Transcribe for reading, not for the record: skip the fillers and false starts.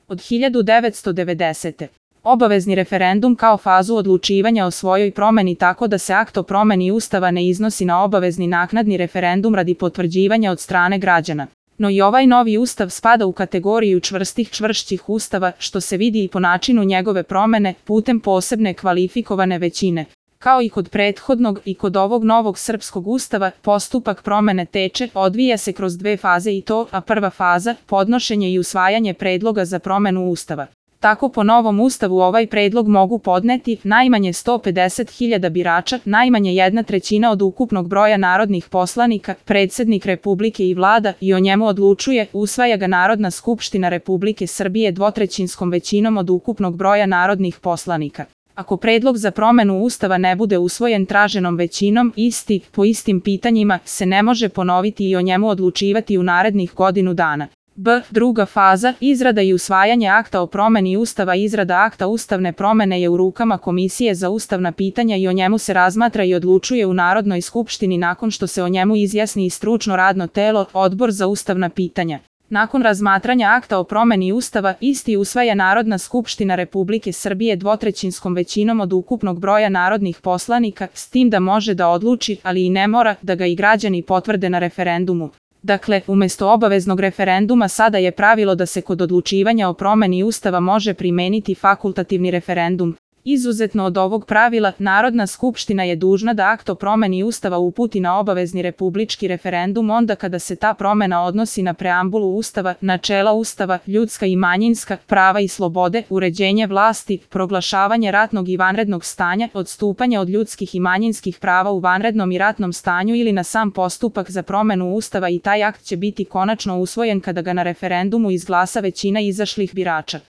od 1990. Obavezni referendum kao fazu odlučivanja o svojoj promeni tako da se akt o promeni Ustava ne iznosi na obavezni naknadni referendum radi potvrđivanja od strane građana. No i ovaj novi ustav spada u kategoriju čvršćih ustava, što se vidi i po načinu njegove promene putem posebne kvalifikovane većine. Kao i kod prethodnog i kod ovog novog srpskog ustava, postupak promene odvija se kroz dve faze i to, a prva faza, podnošenje i usvajanje predloga za promenu ustava. Tako po novom ustavu ovaj predlog mogu podneti najmanje 150.000 birača, najmanje 1/3 od ukupnog broja narodnih poslanika, predsednik Republike i vlada i o njemu odlučuje, usvaja ga Narodna skupština Republike Srbije dvotrećinskom većinom od ukupnog broja narodnih poslanika. Ako predlog za promenu ustava ne bude usvojen traženom većinom, po istim pitanjima se ne može ponoviti i o njemu odlučivati u narednih godinu dana. Druga faza, izrada i usvajanje akta o promeni Ustava. Izrada akta ustavne promene je u rukama Komisije za ustavna pitanja i o njemu se razmatra i odlučuje u Narodnoj skupštini nakon što se o njemu izjasni i stručno radno telo, Odbor za ustavna pitanja. Nakon razmatranja akta o promeni Ustava, isti usvaja Narodna skupština Republike Srbije dvotrećinskom većinom od ukupnog broja narodnih poslanika, s tim da može da odluči, ali i ne mora, da ga i građani potvrde na referendumu. Dakle, umesto obaveznog referenduma sada je pravilo da se kod odlučivanja o promeni Ustava može primeniti fakultativni referendum. Izuzetno od ovog pravila, Narodna skupština je dužna da akt o promeni Ustava uputi na obavezni republički referendum onda kada se ta promena odnosi na preambulu Ustava, načela Ustava, ljudska i manjinska prava i slobode, uređenje vlasti, proglašavanje ratnog i vanrednog stanja, odstupanje od ljudskih i manjinskih prava u vanrednom i ratnom stanju ili na sam postupak za promenu Ustava i taj akt će biti konačno usvojen kada ga na referendumu izglasa većina izašlih birača.